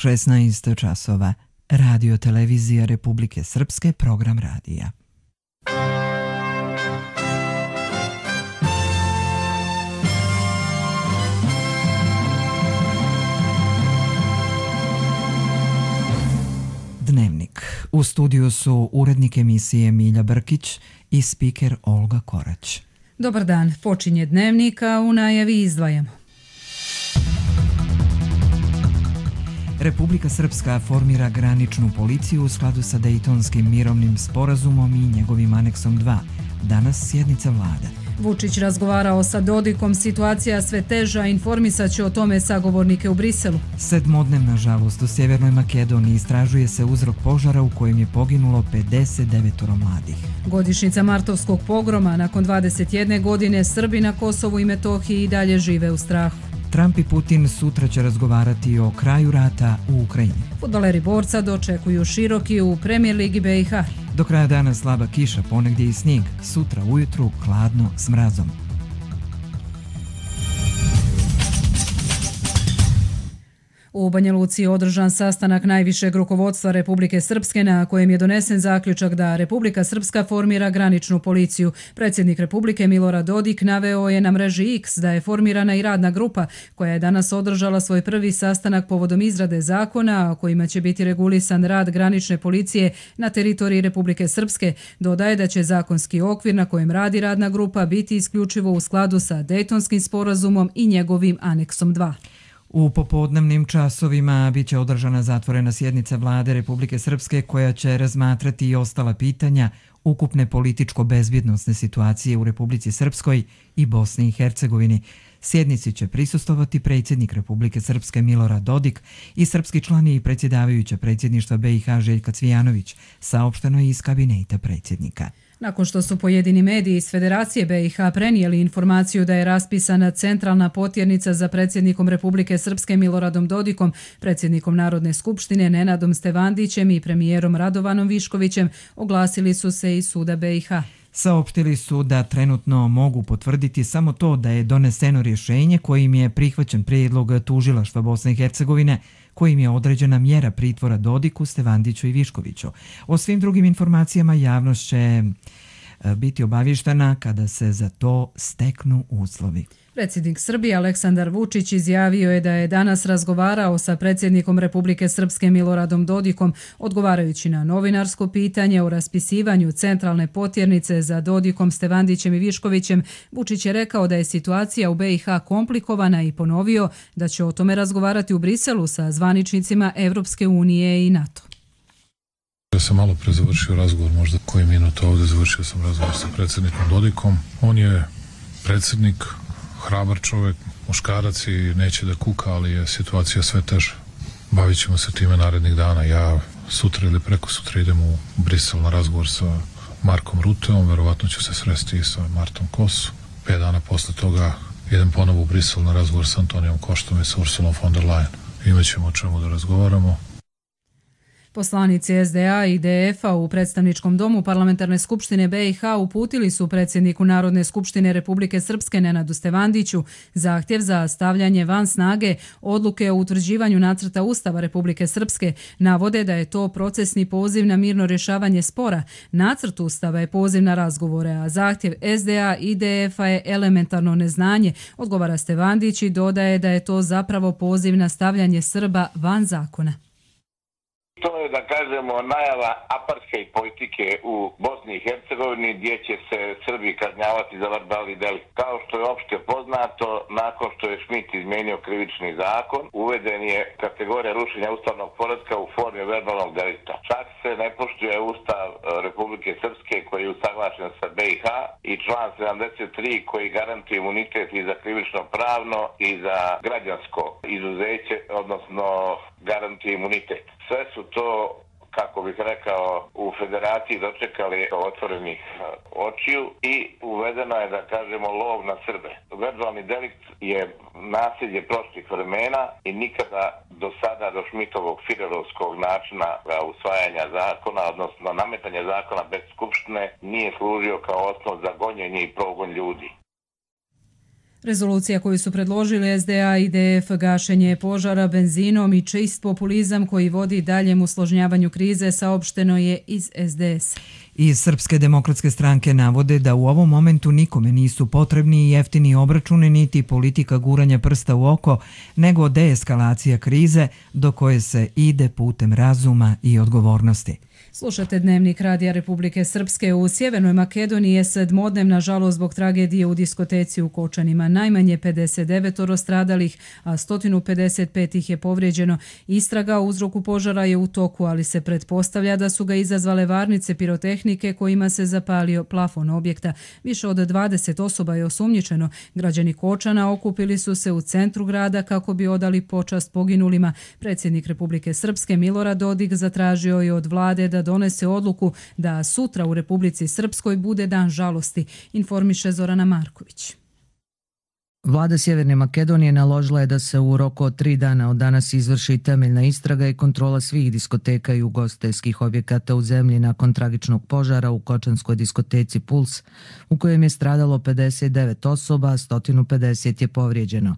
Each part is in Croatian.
16 časova. Radio Televizija Republike Srpske, program radija. Dnevnik. U studiju su urednik emisije Milja Brkić i spiker Olga Korać. Dobar dan, počinje Dnevnik, a u najavi izdvajamo. Republika Srpska formira graničnu policiju u skladu sa Dejtonskim mirovnim sporazumom i njegovim aneksom 2. Danas sjednica vlade. Vučić razgovarao sa Dodikom, situacija sve teža, informisat će o tome sagovornike u Briselu. 7-dnevna žalost u Sjevernoj Makedoniji, istražuje se uzrok požara u kojem je poginulo 59 mladih. Godišnjica martovskog pogroma, nakon 21 godine Srbi na Kosovu i Metohiji i dalje žive u strahu. Trump i Putin sutra će razgovarati o kraju rata u Ukrajini. Fudbaleri Borca dočekuju Široki u Premier Ligi BiH. Do kraja dana slaba kiša, ponegdje i snijeg. Sutra ujutru hladno s mrazom. U Banja Luci je održan sastanak najvišeg rukovodstva Republike Srpske na kojem je donesen zaključak da Republika Srpska formira graničnu policiju. Predsjednik Republike Milorad Dodik naveo je na mreži X da je formirana i radna grupa koja je danas održala svoj prvi sastanak povodom izrade zakona kojima će biti regulisan rad granične policije na teritoriji Republike Srpske. Dodaje da će zakonski okvir na kojem radi radna grupa biti isključivo u skladu sa Dejtonskim sporazumom i njegovim aneksom 2. U popodnevnim časovima biće održana zatvorena sjednica vlade Republike Srpske koja će razmatrati i ostala pitanja ukupne političko-bezbjednosne situacije u Republici Srpskoj i Bosni i Hercegovini. Sjednici će prisustvovati predsjednik Republike Srpske Milorad Dodik i srpski član i predsjedavajuća predsjedništva BiH Željka Cvijanović, saopšteno je iz kabineta predsjednika. Nakon što su pojedini mediji iz Federacije BiH prenijeli informaciju da je raspisana centralna potjernica za predsjednikom Republike Srpske Miloradom Dodikom, predsjednikom Narodne skupštine Nenadom Stevandićem i premijerom Radovanom Viškovićem, oglasili su se iz suda BiH. Saopštili su da trenutno mogu potvrditi samo to da je doneseno rješenje kojim je prihvaćen prijedlog tužilaštva Bosne i Hercegovine, kojim je određena mjera pritvora Dodiku, Stevandiću i Viškoviću. O svim drugim informacijama javnost će biti obavještena kada se za to steknu uslovi. Predsjednik Srbije Aleksandar Vučić izjavio je da je danas razgovarao sa predsjednikom Republike Srpske Miloradom Dodikom, odgovarajući na novinarsko pitanje o raspisivanju centralne potjernice za Dodikom, Stevandićem i Viškovićem. Vučić je rekao da je situacija u BiH komplikovana i ponovio da će o tome razgovarati u Briselu sa zvaničnicima Evropske unije i NATO. Ja sam malo pre završio razgovor, možda koji minut ovdje završio sam razgovor sa predsjednikom Dodikom. On je predsjednik, hrabar čovjek, muškarac i neće da kuka, ali je situacija sve teža. Bavit ćemo se time narednih dana. Ja sutra ili preko sutra idem u Brisel na razgovor sa Markom Ruteom, verovatno ću se sresti i sa Martom Kosu. 5 dana posle toga idem ponovo u Brisel na razgovor sa Antonijom Koštom i sa Ursulom von der Leyen. Imaćemo o čemu da razgovaramo. Poslanici SDA i DF-a u predstavničkom domu Parlamentarne skupštine BiH uputili su predsjedniku Narodne skupštine Republike Srpske Nenadu Stevandiću zahtjev za stavljanje van snage odluke o utvrđivanju nacrta Ustava Republike Srpske. Navode da je to procesni poziv na mirno rješavanje spora. Nacrt Ustava je poziv na razgovore, a zahtjev SDA i DF-a je elementarno neznanje, odgovara Stevandić i dodaje da je to zapravo poziv na stavljanje Srba van zakona. To je, da kažemo, najava apartheid politike u Bosni i Hercegovini gdje će se Srbi kažnjavati za verbalni delikt. Kao što je opšte poznato, nakon što je Schmidt izmijenio krivični zakon, uveden je kategorija rušenja ustavnog poretka u formi verbalnog delikta. Čak se ne poštuje Ustav Republike Srpske koji je usaglašen sa BiH i član 73 koji garantuje imunitet i za krivično pravno i za građansko izuzeće, odnosno garantuje imunitet. Sve su to, kako bih rekao, u federaciji dočekali otvorenih očiju i uvedeno je, da kažemo, lov na Srbe. Verbalni delikt je nasilje prošlih vremena i nikada do sada, do Schmidtovog firerovskog načina usvajanja zakona, odnosno nametanja zakona bez skupštine, nije služio kao osnov za gonjenje i progon ljudi. Rezolucija koju su predložili SDA i DF, gašenje požara benzinom i čist populizam koji vodi daljem usložnjavanju krize, saopšteno je iz SDS. Iz Srpske demokratske stranke navode da u ovom momentu nikome nisu potrebni jeftini obračuni niti politika guranja prsta u oko, nego deeskalacija krize do koje se ide putem razuma i odgovornosti. Slušate Dnevnik Radija Republike Srpske. U Sjevernoj Makedoniji je sedmodnevna žalost zbog tragedije u diskoteci u Kočanima. Najmanje 59 stradalih, a 155 ih je povrijeđeno. Istraga o uzroku požara je u toku, ali se pretpostavlja da su ga izazvale varnice pirotehnike kojima se zapalio plafon objekta. Više od 20 osoba je osumnjičeno. Građani Kočana okupili su se u centru grada kako bi odali počast poginulima. Predsjednik Republike Srpske Milorad Dodik zatražio je od vlade da donese odluku da sutra u Republici Srpskoj bude dan žalosti, informiše Zorana Marković. Vlada Sjeverne Makedonije naložila je da se u roku od 3 dana od danas izvrši temeljna istraga i kontrola svih diskoteka i ugostiteljskih objekata u zemlji nakon tragičnog požara u kočanskoj diskoteci Puls, u kojem je stradalo 59 osoba, a 150 je povrijeđeno.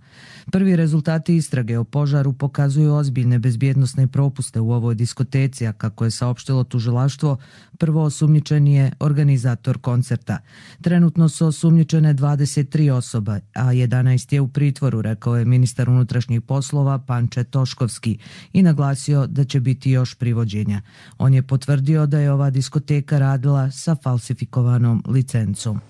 Prvi rezultati istrage o požaru pokazuju ozbiljne bezbjednosne propuste u ovoj diskoteci, a kako je saopštilo tužilaštvo, prvo osumnjičen je organizator koncerta. Trenutno su osumnjičene 23 osoba, a 11 je u pritvoru, rekao je ministar unutrašnjih poslova Panče Toškovski i naglasio da će biti još privođenja. On je potvrdio da je ova diskoteka radila sa falsifikovanom licencom.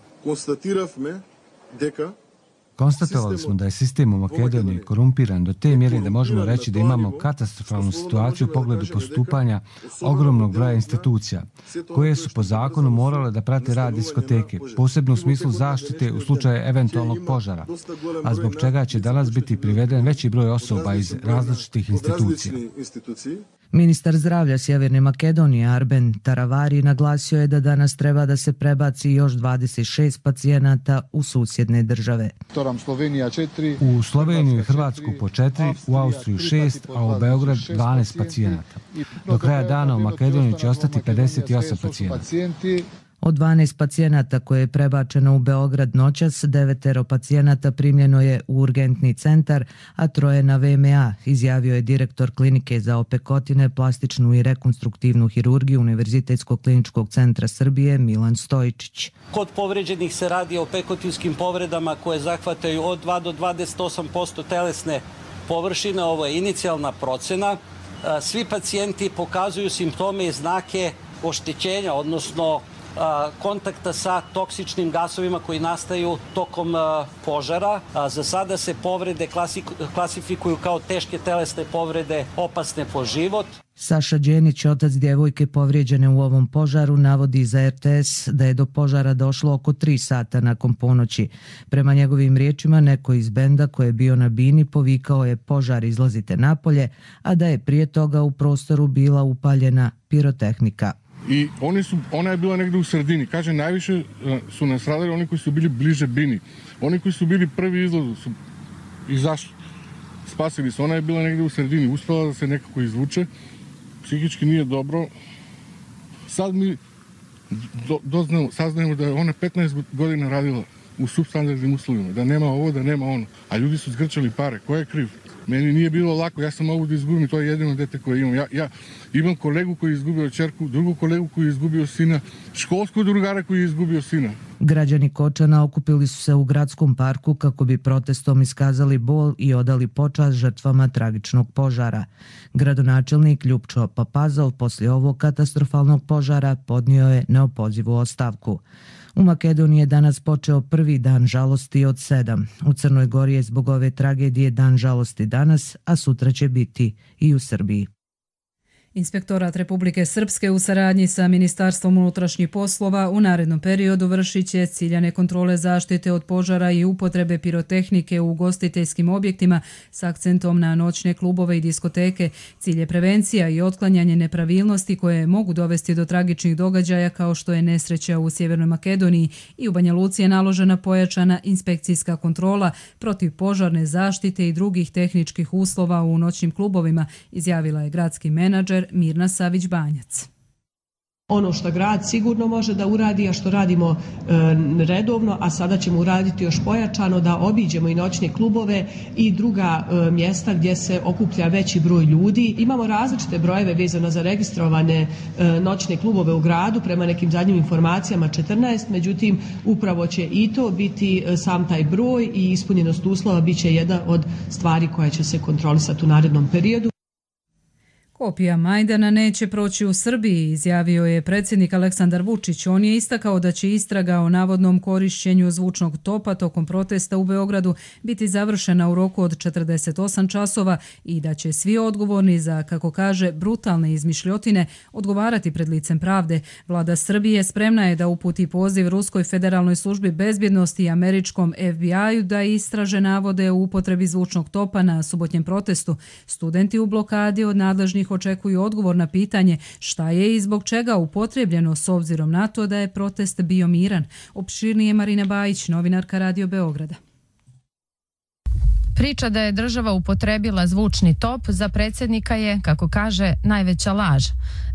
Konstatovali smo da je sistem u Makedoniji korumpiran do te mjere da možemo reći da imamo katastrofalnu situaciju u pogledu postupanja ogromnog broja institucija, koje su po zakonu morale da prate rad diskoteke, posebno u smislu zaštite u slučaju eventualnog požara, a zbog čega će danas biti priveden veći broj osoba iz različitih institucija. Ministar zdravlja Sjeverne Makedonije Arben Taravari naglasio je da danas treba da se prebaci još 26 pacijenata u susjedne države. U Sloveniju i Hrvatsku po 4, u Austriju 6, a u Beograd 12 pacijenata. Do kraja dana u Makedoniji će ostati 58 pacijenata. Od 12 pacijenata koje je prebačeno u Beograd noćas, 9 pacijenata primljeno je u urgentni centar, a 3 na VMA, izjavio je direktor klinike za opekotine, plastičnu i rekonstruktivnu hirurgiju Univerzitetskog kliničkog centra Srbije Milan Stojičić. Kod povređenih se radi o pekotinskim povredama koje zahvataju od 2 do 28% telesne površine. Ovo je inicijalna procena. Svi pacijenti pokazuju simptome i znake oštećenja, odnosno kontakta sa toksičnim gasovima koji nastaju tokom požara. Za sada se povrede klasifikuju kao teške telesne povrede opasne po život. Saša Đenić, otac djevojke povrijeđene u ovom požaru, navodi za RTS da je do požara došlo oko 3 sata nakon ponoći. Prema njegovim riječima, neko iz benda koji je bio na bini povikao je požar, izlazite napolje, a da je prije toga u prostoru bila upaljena pirotehnika. I ona je bila negdje u sredini. Kaže, najviše su nastradali oni koji su bili bliže bini. Oni koji su bili prvi izlazu su izašli. Spasili se. Ona je bila negdje u sredini. Uspjela da se nekako izvuče. Psihički nije dobro. Sad mi saznajemo da je ona 15 godina radila u substandardnim uslovima. Da nema ovo, da nema ono. A ljudi su zgrčali pare. Ko je kriv? Meni nije bilo lako, ja sam mogu da izgubim, to je jedino dete koje imam. Ja imam kolegu koji je izgubio ćerku, drugu kolegu koji je izgubio sina, školskog drugara koji je izgubio sina. Građani Kočana okupili su se u gradskom parku kako bi protestom iskazali bol i odali počast žrtvama tragičnog požara. Gradonačelnik Ljupčo Papazov poslije ovog katastrofalnog požara podnio je neopozivu ostavku. U Makedoniji je danas počeo prvi dan žalosti od 7. U Crnoj Gori je zbog ove tragedije dan žalosti danas, a sutra će biti i u Srbiji. Inspektorat Republike Srpske u saradnji sa Ministarstvom unutrašnjih poslova u narednom periodu vršit će ciljane kontrole zaštite od požara i upotrebe pirotehnike u ugostiteljskim objektima s akcentom na noćne klubove i diskoteke. Cilj je prevencija i otklanjanje nepravilnosti koje mogu dovesti do tragičnih događaja kao što je nesreća u Sjevernoj Makedoniji i u Banja Luci je naložena pojačana inspekcijska kontrola protiv požarne zaštite i drugih tehničkih uslova u noćnim klubovima, izjavila je gradski menadžer Mirna Savić-Banjac. Ono što grad sigurno može da uradi, a što radimo redovno, a sada ćemo uraditi još pojačano, da obiđemo i noćne klubove i druga mjesta gdje se okuplja veći broj ljudi. Imamo različite brojeve vezano za registrovane noćne klubove u gradu, prema nekim zadnjim informacijama 14, međutim upravo će i to biti sam taj broj i ispunjenost uslova bit će jedna od stvari koja će se kontrolisati u narednom periodu. Kopija Majdana neće proći u Srbiji, izjavio je predsjednik Aleksandar Vučić. On je istakao da će istraga o navodnom korišćenju zvučnog topa tokom protesta u Beogradu biti završena u roku od 48 časova i da će svi odgovorni za, kako kaže, brutalne izmišljotine odgovarati pred licem pravde. Vlada Srbije spremna je da uputi poziv Ruskoj federalnoj službi bezbjednosti i američkom FBI-u da istraže navode u upotrebi zvučnog topa na subotnjem protestu. Studenti u blokadi od nadležnih očekuju odgovor na pitanje šta je i zbog čega upotrebljeno s obzirom na to da je protest bio miran. Opširnije Marina Bajić, novinarka Radio Beograda. Priča da je država upotrebila zvučni top za predsjednika je, kako kaže, najveća laž.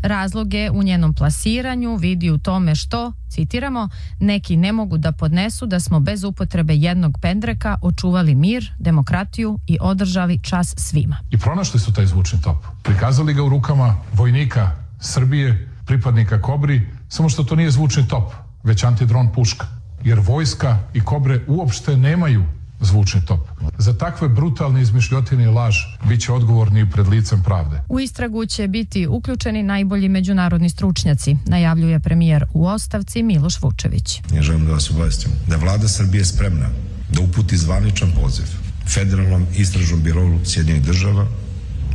Razlog je u njenom plasiranju vidi u tome što, citiramo, neki ne mogu da podnesu da smo bez upotrebe jednog pendreka očuvali mir, demokratiju i održali čas svima. I pronašli su taj zvučni top. Prikazali ga u rukama vojnika Srbije, pripadnika Kobri, samo što to nije zvučni top, već antidron puška. Jer vojska i Kobre uopšte nemaju zvučni top. Za takve brutalne izmišljotine i laž bit će odgovorni pred licem pravde. U istragu će biti uključeni najbolji međunarodni stručnjaci, najavljuje premijer u ostavci Miloš Vučević. Ja želim da vas obavestim da vlada Srbije spremna da uputi zvaničan poziv Federalnom istražnom birou Sjedinjenih država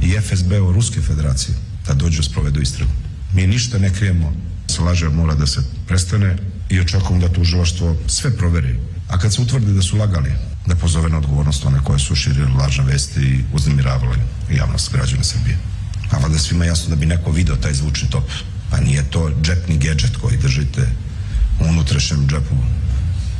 i FSB-u Ruske federacije da dođu sprovedu istragu. Mi ništa ne krijemo, laže mora da se prestane i očekujemo da tužilaštvo sve proveri. A kad se utvrdi da su lagali, da pozove na odgovornost one koje su širili lažne vesti i uznemiravali javnost građana Srbije. A valjda svima jasno da bi neko video taj zvučni top. Pa nije to džepni gedžet koji držite u unutrašnjem džepu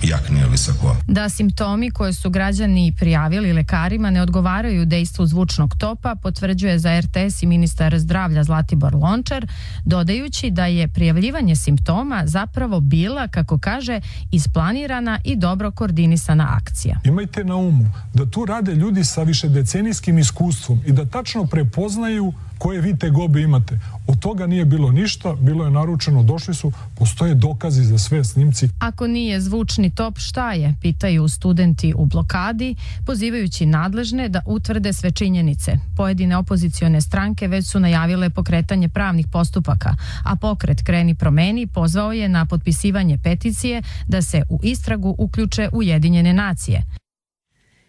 jakne ili sakoa. Da simptomi koje su građani prijavili lekarima ne odgovaraju dejstvu zvučnog topa, potvrđuje za RTS i ministar zdravlja Zlatibor Lončar, dodajući da je prijavljivanje simptoma zapravo bila, kako kaže, isplanirana i dobro koordinisana akcija. Imajte na umu da tu rade ljudi sa višedecenijskim iskustvom i da tačno prepoznaju koje vi tegobe imate. Od toga nije bilo ništa, bilo je naručeno, došli su, postoje dokazi za sve, snimci. Ako nije zvučni top, šta je? Pitaju studenti u blokadi, pozivajući nadležne da utvrde sve činjenice. Pojedine opozicione stranke već su najavile pokretanje pravnih postupaka, a pokret Kreni promeni pozvao je na potpisivanje peticije da se u istragu uključe Ujedinjene nacije.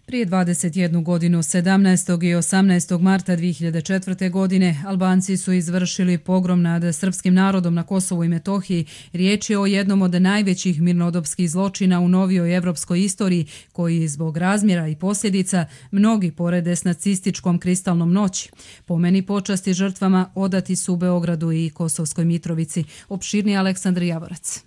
Prije 21 godinu, 17. i 18. marta 2004. godine, Albanci su izvršili pogrom nad srpskim narodom na Kosovu i Metohiji. Riječ je o jednom od najvećih mirnodopskih zločina u novijoj evropskoj istoriji, koji zbog razmjera i posljedica mnogi porede s nacističkom kristalnom noći. Pomeni počasti žrtvama odati su u Beogradu i Kosovskoj Mitrovici. Opširni Aleksandar Javorac.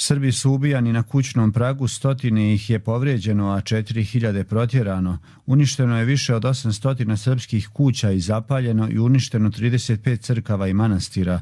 Srbi su ubijani na kućnom pragu, stotine ih je povrijeđeno, a 4000 protjerano. Uništeno je više od 800 srpskih kuća i zapaljeno i uništeno 35 crkava i manastira.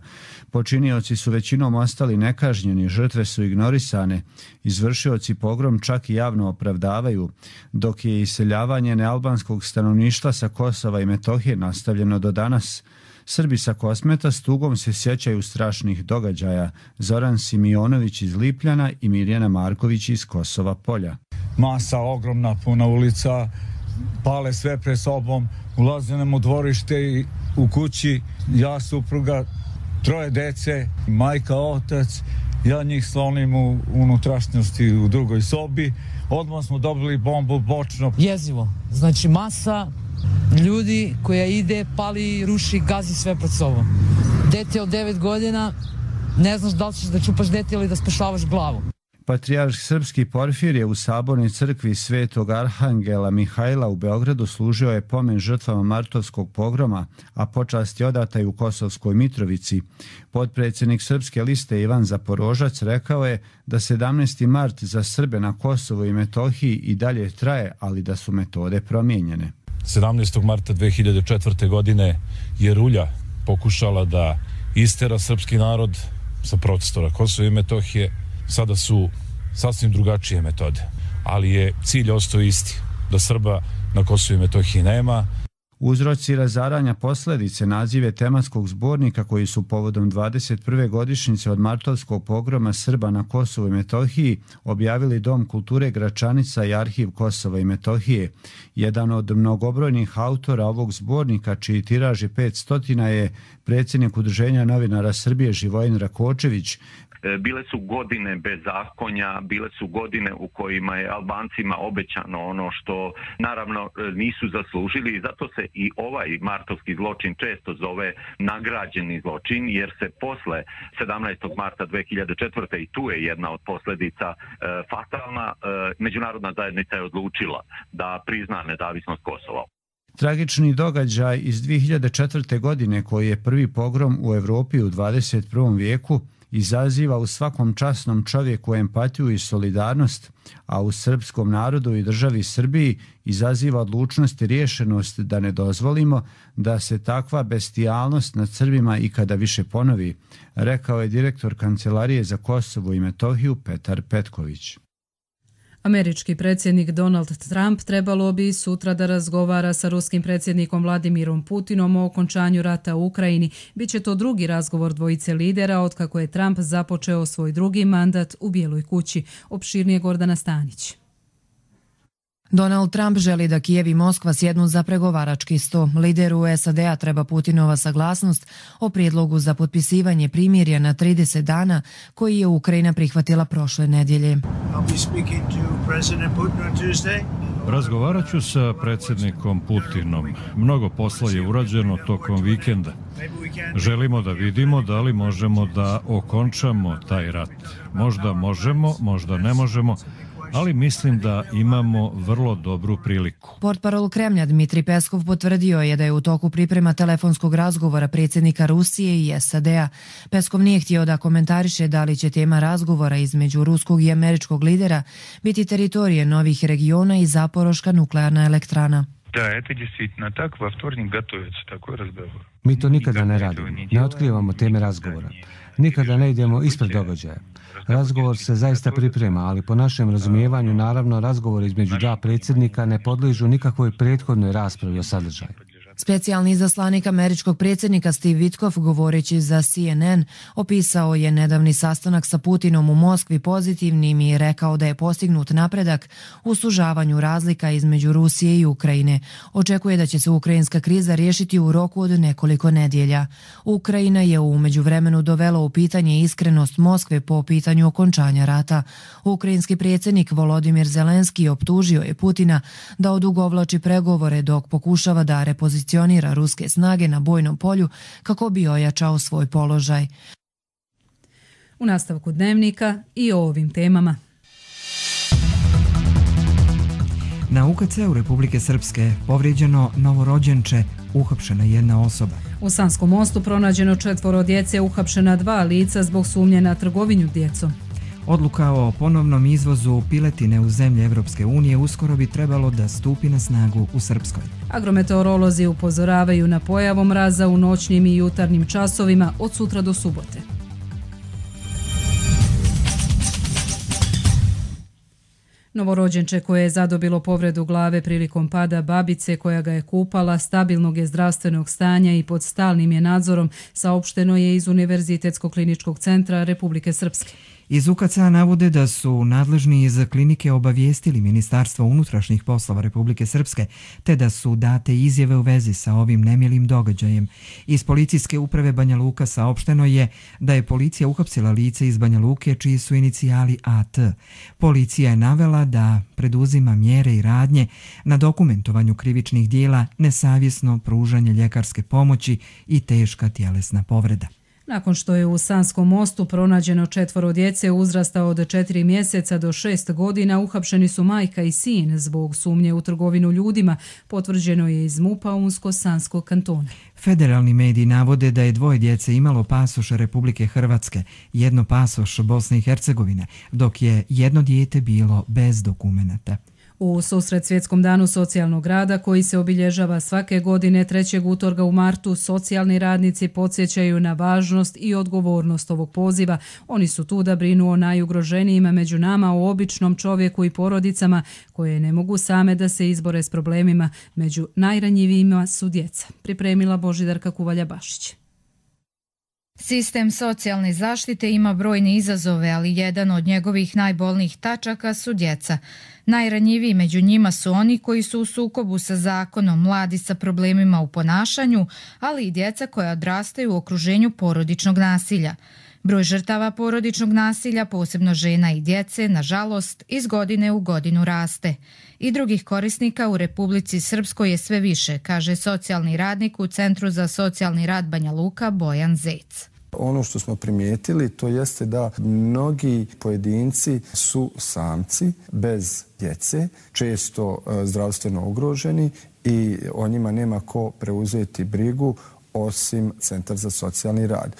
Počinioci su većinom ostali nekažnjeni, žrtve su ignorisane. Izvršioci pogrom čak i javno opravdavaju, dok je iseljavanje nealbanskog stanovništva sa Kosova i Metohije nastavljeno do danas. Srbi sa Kosmeta s tugom se sjećaju strašnih događaja. Zoran Simionović iz Lipljana i Mirjana Marković iz Kosova Polja. Masa ogromna, puna ulica, pale sve pre sobom, ulaze nam u dvorište i u kući, ja, supruga, 3 dece, majka, otac, ja njih slonim u unutrašnjosti u drugoj sobi. Odmah smo dobili bombu bočno. Jezivo, znači masa ljudi koja ide, pali, ruši, gazi sve pred sobom. Dete od 9 godina, ne znaš da li ćeš da čupaš dete ili da spašavaš glavu. Patrijarh srpski Porfirije u sabornoj crkvi Svetog Arhangela Mihajla u Beogradu služio je pomen žrtvama martovskog pogroma, a počast je odata i u Kosovskoj Mitrovici. Potpredsjednik Srpske liste Ivan Zaporožac rekao je da 17. mart za Srbe na Kosovu i Metohiji i dalje traje, ali da su metode promijenjene. 17. marta 2004. godine je rulja pokušala da istera srpski narod sa prostora Kosova i Metohije. Sada su sasvim drugačije metode, ali je cilj ostao isti, da Srba na Kosovu i Metohiji nema. Uzroci razaranja posljedice nazive tematskog zbornika koji su povodom 21. godišnjice od martovskog pogroma Srba na Kosovu i Metohiji objavili Dom kulture Gračanica i Arhiv Kosova i Metohije. Jedan od mnogobrojnih autora ovog zbornika, čiji tiraž je 500, je predsjednik Udruženja novinara Srbije Živojin Rakočević. Bile su godine bezakonja, bile su godine u kojima je Albancima obećano ono što naravno nisu zaslužili i zato se i ovaj martovski zločin često zove nagrađeni zločin, jer se posle 17. marta 2004. i tu je jedna od posljedica fatalna, međunarodna zajednica je odlučila da prizna nezavisnost Kosova. Tragični događaj iz 2004. godine, koji je prvi pogrom u Evropi u 21. vijeku, izaziva u svakom časnom čovjeku empatiju i solidarnost, a u srpskom narodu i državi Srbiji izaziva odlučnost i rješenost da ne dozvolimo da se takva bestijalnost nad Srbima ikada više ponovi, rekao je direktor Kancelarije za Kosovo i Metohiju Petar Petković. Američki predsjednik Donald Trump trebalo bi sutra da razgovara sa ruskim predsjednikom Vladimirom Putinom o okončanju rata u Ukrajini. Biće to drugi razgovor dvojice lidera otkako je Trump započeo svoj drugi mandat u Bijeloj kući. Opširnije Gordana Stanić. Donald Trump želi da Kijev i Moskva sjednu za pregovarački sto. Lideru SAD-a treba Putinova saglasnost o prijedlogu za potpisivanje primirja na 30 dana koji je Ukrajina prihvatila prošle nedjelje. Razgovarat ću sa predsjednikom Putinom. Mnogo posla je urađeno tokom vikenda. Želimo da vidimo da li možemo da okončamo taj rat. Možda možemo, možda ne možemo, ali mislim da imamo vrlo dobru priliku. Portparol Kremlja Dmitri Peskov potvrdio je da je u toku priprema telefonskog razgovora predsjednika Rusije i SAD-a. Peskov nije htio da komentariše da li će tema razgovora između ruskog i američkog lidera biti teritorije novih regiona i Zaporoška nuklearna elektrana. Mi to nikada ne radimo, ne otkrivamo teme razgovora. Nikada ne idemo ispred događaja. Razgovor se zaista priprema, ali po našem razumijevanju, naravno, razgovor između dva predsjednika ne podliježu nikakvoj prethodnoj raspravi o sadržaju. Specijalni izaslanik američkog predsjednika Steve Witkoff, govoreći za CNN, opisao je nedavni sastanak sa Putinom u Moskvi pozitivnim i rekao da je postignut napredak u sužavanju razlika između Rusije i Ukrajine. Očekuje da će se ukrajinska kriza riješiti u roku od nekoliko nedjelja. Ukrajina je u međuvremenu dovela u pitanje iskrenost Moskve po pitanju okončanja rata. Ukrajinski predsjednik Volodimir Zelenski optužio je Putina da odugovlači pregovore dok pokušava da repozicionira ruske snage na bojnom polju kako bi ojačao svoj položaj. U nastavku dnevnika i o ovim temama. Na UKC-u Republike Srpske povrijeđeno novorođenče, uhapšena jedna osoba. U Sanskom mostu pronađeno 4 djece, uhapšena 2 lica zbog sumnje na trgovinu djecom. Odluka o ponovnom izvozu piletine u zemlje Evropske unije uskoro bi trebalo da stupi na snagu u Srpskoj. Agrometeorolozi upozoravaju na pojavu mraza u noćnim i jutarnjim časovima od sutra do subote. Novorođenče koje je zadobilo povredu glave prilikom pada babice koja ga je kupala, stabilnog je zdravstvenog stanja i pod stalnim je nadzorom, saopšteno je iz Univerzitetskog kliničkog centra Republike Srpske. Iz UKC-a navode da su nadležni iz klinike obavijestili Ministarstvo unutrašnjih poslova Republike Srpske, te da su date izjave u vezi sa ovim nemilim događajem. Iz policijske uprave Banja Luka saopšteno je da je policija uhapsila lice iz Banja Luke čiji su inicijali AT. Policija je navela da preduzima mjere i radnje na dokumentovanju krivičnih dijela, nesavjesno pružanje ljekarske pomoći i teška tjelesna povreda. Nakon što je u Sanskom mostu pronađeno 4 djece uzrasta od 4 mjeseca do 6 godina, uhapšeni su majka i sin zbog sumnje u trgovinu ljudima, potvrđeno je iz MUP-a Unsko-Sanskog kantona. Federalni mediji navode da je 2 djece imalo pasoš Republike Hrvatske, 1 pasoš Bosne i Hercegovine, dok je 1 dijete bilo bez dokumenata. U susret Svjetskom danu socijalnog rada, koji se obilježava svake godine 3. utorka u martu, socijalni radnici podsjećaju na važnost i odgovornost ovog poziva. Oni su tu da brinu o najugroženijima među nama, o običnom čovjeku i porodicama koje ne mogu same da se izbore s problemima. Među najranjivijima su djeca. Pripremila Božidarka Kuvalja-Bašić. Sistem socijalne zaštite ima brojne izazove, ali jedan od njegovih najbolnijih tačaka su djeca. Najranjiviji među njima su oni koji su u sukobu sa zakonom, mladi sa problemima u ponašanju, ali i djeca koja odrastaju u okruženju porodičnog nasilja. Broj žrtava porodičnog nasilja, posebno žena i djece, nažalost, iz godine u godinu raste. I drugih korisnika u Republici Srpskoj je sve više, kaže socijalni radnik u Centru za socijalni rad Banja Luka Bojan Zec. Ono što smo primijetili to jeste da mnogi pojedinci su samci bez djece, često zdravstveno ugroženi i o njima nema ko preuzeti brigu osim Centar za socijalni rad.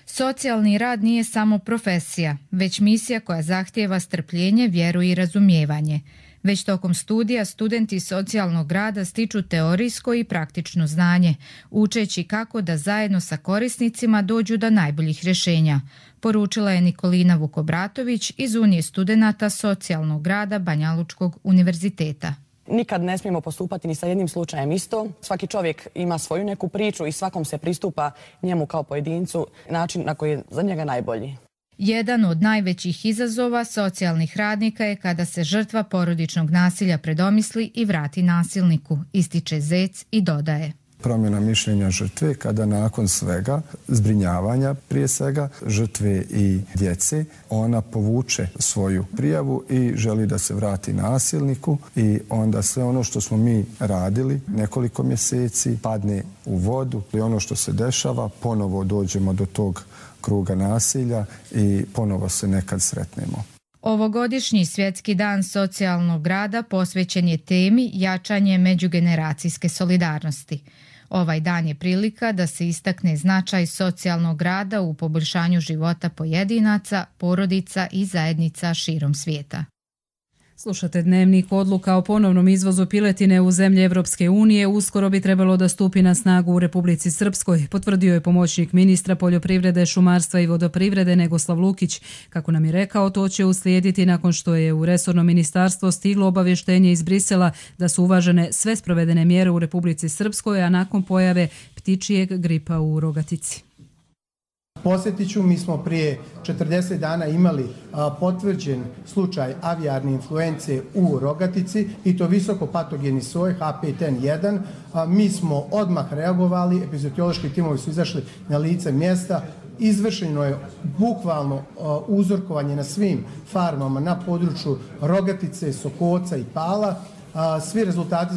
Socijalni rad nije samo profesija, već misija koja zahtijeva strpljenje, vjeru i razumijevanje. Već tokom studija studenti socijalnog rada stiču teorijsko i praktično znanje, učeći kako da zajedno sa korisnicima dođu do najboljih rješenja, poručila je Nikolina Vukobratović iz Unije studenata socijalnog rada Banja Lučkog univerziteta. Nikad ne smijemo postupati ni sa jednim slučajem isto. Svaki čovjek ima svoju neku priču i svakom se pristupa njemu kao pojedincu način na koji je za njega najbolji. Jedan od najvećih izazova socijalnih radnika je kada se žrtva porodičnog nasilja predomisli i vrati nasilniku, ističe Zec i dodaje. Promjena mišljenja žrtve kada nakon svega, zbrinjavanja prije svega, žrtve i djece, ona povuče svoju prijavu i želi da se vrati nasilniku i onda sve ono što smo mi radili nekoliko mjeseci padne u vodu i ono što se dešava ponovo dođemo do tog kruga nasilja i ponovo se nekad sretnemo. Ovogodišnji Svjetski dan socijalnog rada posvećen je temi jačanje međugeneracijske solidarnosti. Ovaj dan je prilika da se istakne značaj socijalnog rada u poboljšanju života pojedinaca, porodica i zajednica širom svijeta. Slušate Dnevnik. Odluka o ponovnom izvozu piletine u zemlje Evropske unije uskoro bi trebalo da stupi na snagu u Republici Srpskoj, potvrdio je pomoćnik ministra poljoprivrede, šumarstva i vodoprivrede Negoslav Lukić. Kako nam je rekao, to će uslijediti nakon što je u resorno ministarstvo stiglo obavještenje iz Brisela da su uvažene sve sprovedene mjere u Republici Srpskoj, a nakon pojave ptičijeg gripa u rogatici. Posjetiću, mi smo prije 40 dana imali potvrđen slučaj avijarne influence u rogatici i to visoko patogeni soj H5N1. Mi smo odmah reagovali, epizodiološki timovi su izašli na lice mjesta. Izvršeno je bukvalno uzorkovanje na svim farmama na području Rogatice, Sokoca i Pala. Svi rezultati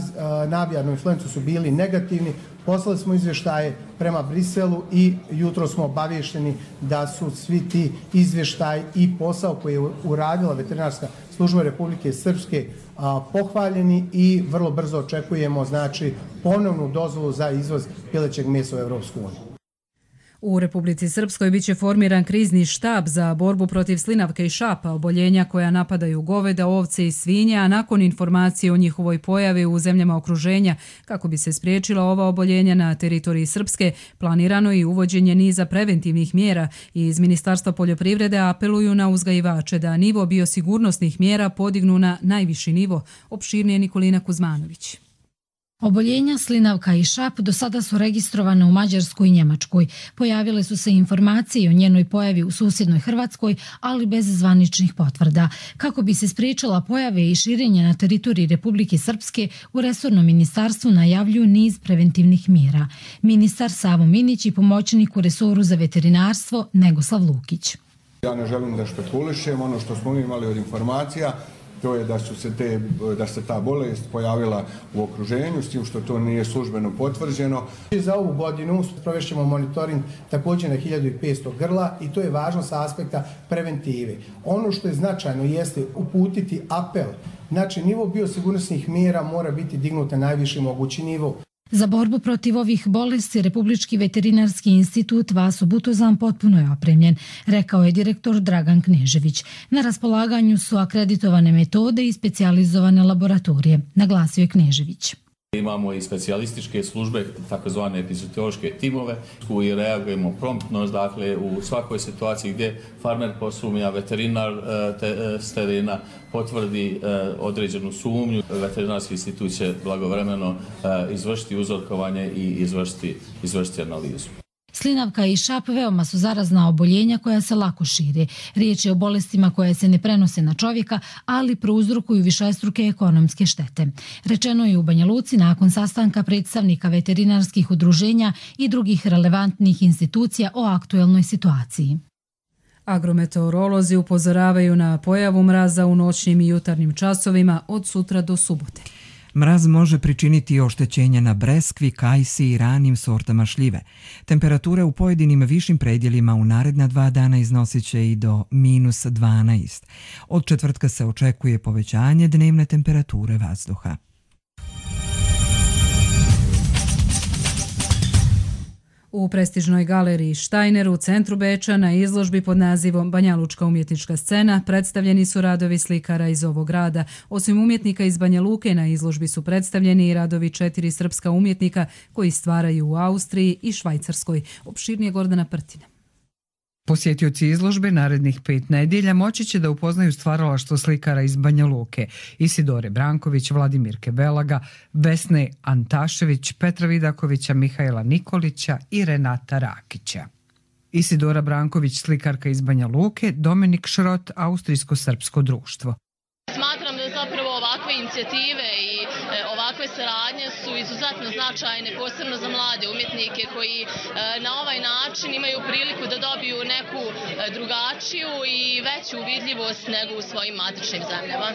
na avijarnu influencu su bili negativni. Poslali smo izvještaje prema Briselu i jutro smo obavješteni da su svi ti izvještaji i posao koji je uradila veterinarska služba Republike Srpske pohvaljeni i vrlo brzo očekujemo ponovnu dozvolu za izvoz pilećeg mesa u Evropsku uniju. U Republici Srpskoj biće formiran krizni štab za borbu protiv slinavke i šapa, oboljenja koja napadaju goveda, ovce i svinje, a nakon informacije o njihovoj pojavi u zemljama okruženja, kako bi se spriječila ova oboljenja na teritoriji Srpske, planirano i uvođenje niza preventivnih mjera i iz Ministarstva poljoprivrede apeluju na uzgajivače da nivo biosigurnosnih mjera podignu na najviši nivo, opširnije Nikolina Kuzmanović. Oboljenja slinavka i šap do sada su registrovane u Mađarskoj i Njemačkoj. Pojavile su se informacije o njenoj pojavi u susjednoj Hrvatskoj, ali bez zvaničnih potvrda. Kako bi se spriječila pojave i širenje na teritoriji Republike Srpske, u resornom ministarstvu najavljuju niz preventivnih mjera. Ministar Savo Minić i pomoćnik u resoru za veterinarstvo Negoslav Lukić. Ja ne želim da špekulišem, ono što smo imali od informacija, to je da se ta bolest pojavila u okruženju, s tim što to nije službeno potvrđeno. Za ovu godinu provešćemo monitoring također na 1500 grla i to je važno sa aspekta preventive. Ono što je značajno jeste uputiti apel. Znači, nivo biosigurnosnih mjera mora biti dignut na najviši mogući nivo. Za borbu protiv ovih bolesti Republički veterinarski institut Vaso Butozan potpuno je opremljen, rekao je direktor Dragan Knežević. Na raspolaganju su akreditovane metode i specijalizovane laboratorije, naglasio je Knežević. Imamo i specijalističke službe, takozvane epizootiološke timove koji reagujemo promptno, dakle u svakoj situaciji gdje farmer posumnja, veterinar s terena potvrdi određenu sumnju, veterinarski institut će blagovremeno izvršiti uzorkovanje i izvršiti analizu. Slinavka i šap veoma su zarazna oboljenja koja se lako šire. Riječ je o bolestima koje se ne prenose na čovjeka, ali prouzrokuju višestruke ekonomske štete. Rečeno je u Banja Luci nakon sastanka predstavnika veterinarskih udruženja i drugih relevantnih institucija o aktuelnoj situaciji. Agrometeorolozi upozoravaju na pojavu mraza u noćnim i jutarnjim časovima od sutra do subote. Mraz može pričiniti oštećenja na breskvi, kajsi i ranim sortama šljive. Temperature u pojedinim višim predjelima u naredna 2 dana iznosit će i do -12. Od četvrtka se očekuje povećanje dnevne temperature vazduha. U prestižnoj galeriji Štajner u centru Beča na izložbi pod nazivom Banjalučka umjetnička scena predstavljeni su radovi slikara iz ovog grada. Osim umjetnika iz Banja Luke na izložbi su predstavljeni i radovi 4 srpska umjetnika koji stvaraju u Austriji i Švajcarskoj. Opširnije Gordana Prtina. Posjetioci izložbe narednih 5 nedjelja moći će da upoznaju stvaralaštvo slikara iz Banja Luke: Isidore Branković, Vladimirke Belaga, Vesne Antašević, Petra Vidakovića, Mihajla Nikolića i Renata Rakića. Isidora Branković, slikarka iz Banja Luke, Dominik Šrot, Austrijsko-srpsko društvo. Smatram da zapravo ovakve inicijative i ovakve saradnje su izuzetno značajne, posebno za mlade umjetnike koji na ovaj način imaju priliku da dobiju neku drugačiju i veću vidljivost nego u svojim matičnim zemljama.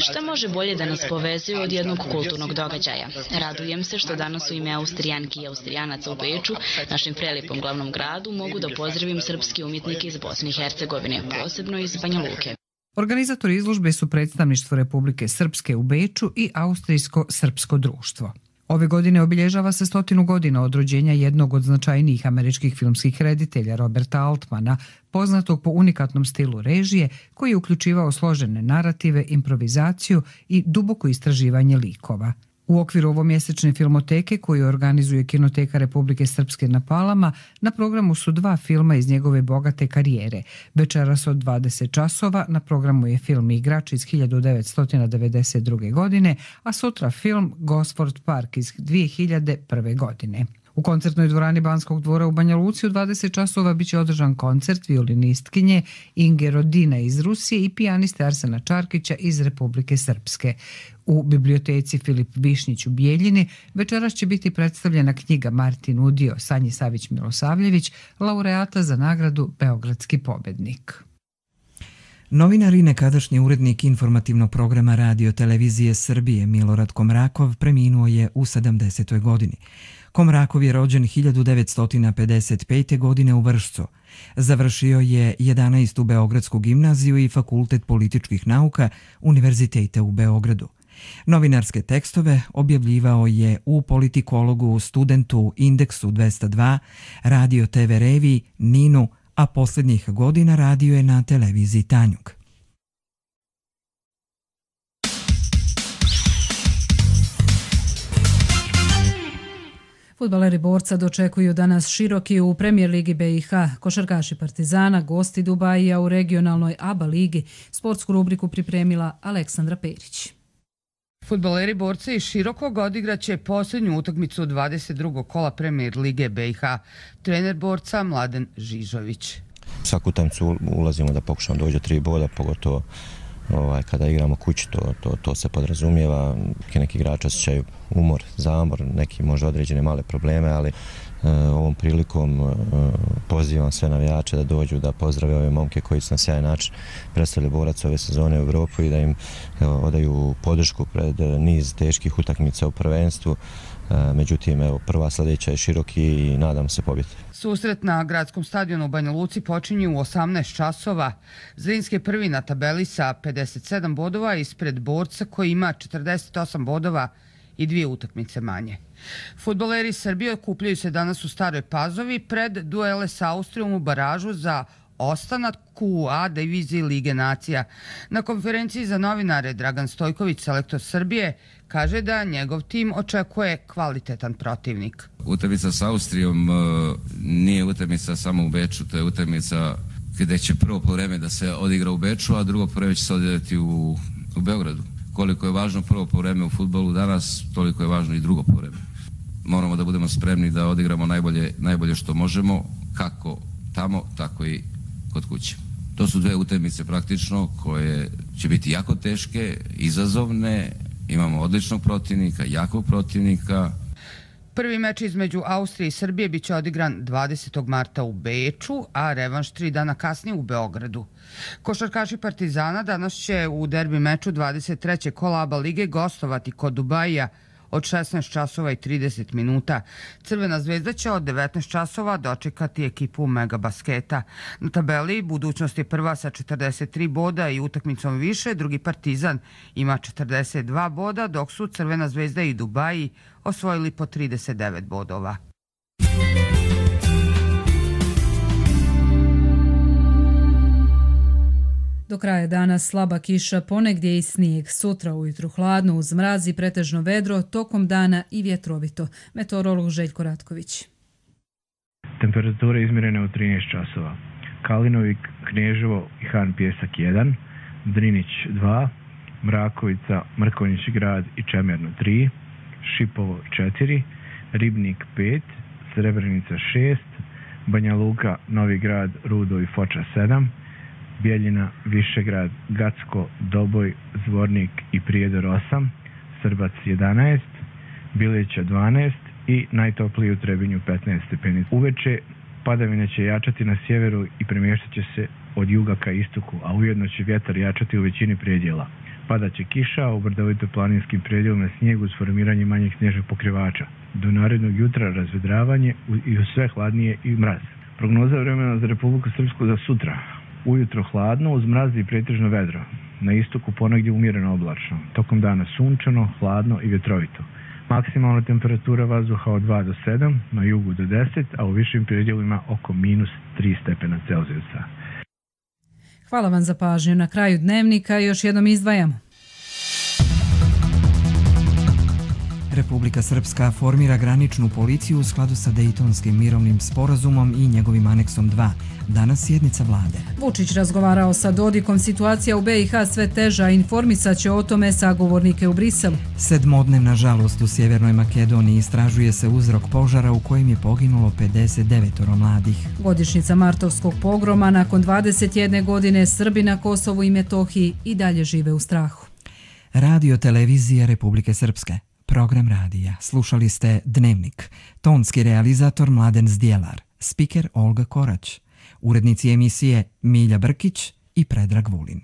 Šta može bolje da nas povezuje od jednog kulturnog događaja? Radujem se što danas u ime Austrijanki i Austrijanaca u Beču, našem prelijepom glavnom gradu, mogu da pozdravim srpske umjetnike iz Bosne i Hercegovine, posebno iz Banja Luke. Organizatori izložbe su predstavništvo Republike Srpske u Beču i Austrijsko-srpsko društvo. Ove godine obilježava se 100 godina od rođenja jednog od značajnijih američkih filmskih reditelja, Roberta Altmana, poznatog po unikatnom stilu režije koji je uključivao složene narative, improvizaciju i duboko istraživanje likova. U okviru ovomjesečne filmoteke koju organizuje Kinoteka Republike Srpske na Palama, na programu su 2 filma iz njegove bogate karijere. Večeras od 20 časova na programu je film Igrač iz 1992. godine, a sutra film Gosford Park iz 2001. godine. U koncertnoj dvorani Banskog dvora u Banja Luci u 20 časova biće održan koncert violinistkinje Inge Rodina iz Rusije i pijaniste Arsena Čarkića iz Republike Srpske. U biblioteci Filip Višnjić u Bijeljini večeras će biti predstavljena knjiga Martin Udio, Sanji Savić Milosavljević, laureata za nagradu Beogradski pobednik. Novinar i nekadašnji urednik informativnog programa Radio Televizije Srbije Milorad Komrakov preminuo je u 70. godini. Komrakov je rođen 1955. godine u Vršcu. Završio je 11. Beogradsku gimnaziju i Fakultet političkih nauka Univerziteta u Beogradu. Novinarske tekstove objavljivao je u Politikologu, Studentu, Indeksu 202, Radio TV Reviji, Ninu, a posljednjih godina radio je na televiziji Tanjug. Fudbaleri Borca dočekuju danas Široki u Premijer ligi BiH. Košarkaši Partizana, gosti Dubajija u regionalnoj ABA ligi. Sportsku rubriku pripremila Aleksandra Perić. Fudbaleri Borca iz Širokog odigraće posljednju utakmicu 22. kola Premijer lige BiH. Trener Borca Mladen Žižović. Svaku utakmicu ulazimo da pokušamo doći do 3 boda, pogotovo kada igramo kući, to se podrazumijeva. Neki igrači osjećaju umor, zamor, neki možda određene male probleme, ali ovom prilikom pozivam sve navijače da dođu da pozdrave ove momke koji su na sjajan način predstavili Borac ove sezone u Evropu i da im odaju podršku pred niz teških utakmica u prvenstvu. Međutim, prva sljedeća je Široki i nadam se pobjede. Susret na gradskom stadionu u Banja Luci počinje u 18 časova. Zrinski je prvi na tabeli sa 57 bodova ispred Borca koji ima 48 bodova i 2 utakmice manje. Fudbaleri Srbije okupljaju se danas u Staroj Pazovi pred duele sa Austrijom u baražu za ostanak u A diviziji Lige nacija. Na konferenciji za novinare Dragan Stojković, selektor Srbije, kaže da njegov tim očekuje kvalitetan protivnik. Utakmica s Austrijom nije utakmica samo u Beču, to je utakmica gdje će prvo poluvreme da se odigra u Beču, a drugo poluvreme će se odigrati u Beogradu. Koliko je važno prvo poluvreme u fudbalu danas, toliko je važno i drugo poluvreme. Moramo da budemo spremni da odigramo najbolje što možemo, kako tamo, tako i kod kuće. To su 2 utakmice praktično koje će biti jako teške, izazovne, imamo odličnog protivnika, jakog protivnika. Prvi meč između Austrije i Srbije biće odigran 20. marta u Beču, a revanš 3 dana kasnije u Beogradu. Košarkaši Partizana danas će u derbi meču 23. kola ABA lige gostovati kod Dubaija od 16 časova i 30 minuta. Crvena zvezda će od 19 časova dočekati ekipu Megabasketa. Na tabeli budućnost je prva sa 43 boda i utakmicom više, drugi Partizan ima 42 boda, dok su Crvena zvezda i Dubaji osvojili po 39 bodova. Do kraja dana slaba kiša, ponegdje i snijeg. Sutra ujutru hladno uz mraz i pretežno vedro, tokom dana i vjetrovito. Meteorolog Željko Ratković. Temperature izmjerene u 13 časova. Kalinovik, Kneževo i Han Pjesak 1, Drinić 2, Mrakovica, Mrkonjić grad i Čemerno 3, Šipovo 4, Ribnik 5, Srebrenica 6, Banja Luka, Novi grad, Rudo i Foča 7, Bijeljina, Višegrad, Gacko, Doboj, Zvornik i Prijedor 8, Srbac 11, Bileća 12 i najtopliji u Trebinju 15 stepeni. Uveče padavine će jačati na sjeveru i premještat će se od juga ka istoku, a ujedno će vjetar jačati u većini predjela. Padaće kiša, a u brdovito planinskim predjelima snijeg uz formiranje manjih snježnih pokrivača. Do narednog jutra razvedravanje i sve hladnije i mraz. Prognoza vremena za Republiku Srpsku za sutra. Ujutro hladno, uz mraz i pretežno vedro. Na istoku ponegdje umjereno oblačno. Tokom dana sunčano, hladno i vjetrovito. Maksimalna temperatura vazduha od 2 do 7, na jugu do 10, a u višim predjelima oko -3 stepena Celzijusa. Hvala vam za pažnju. Na kraju dnevnika još jednom izdvajamo. Republika Srpska formira graničnu policiju u skladu sa Dejtonskim mirovnim sporazumom i njegovim aneksom 2. Danas sjednica vlade. Vučić razgovarao sa Dodikom, situacija u BiH sve teža, informisat će o tome sagovornike u Briselu. 7-dnevna žalost u Sjevernoj Makedoniji, istražuje se uzrok požara u kojem je poginulo 59 mladih. Godišnjica martovskog pogroma, nakon 21 godine Srbi na Kosovu i Metohiji i dalje žive u strahu. Radio televizija Republike Srpske. Program radija. Slušali ste Dnevnik. Tonski realizator Mladen Zdjelar. Spiker Olga Korać. Urednici emisije Milja Brkić i Predrag Vulin.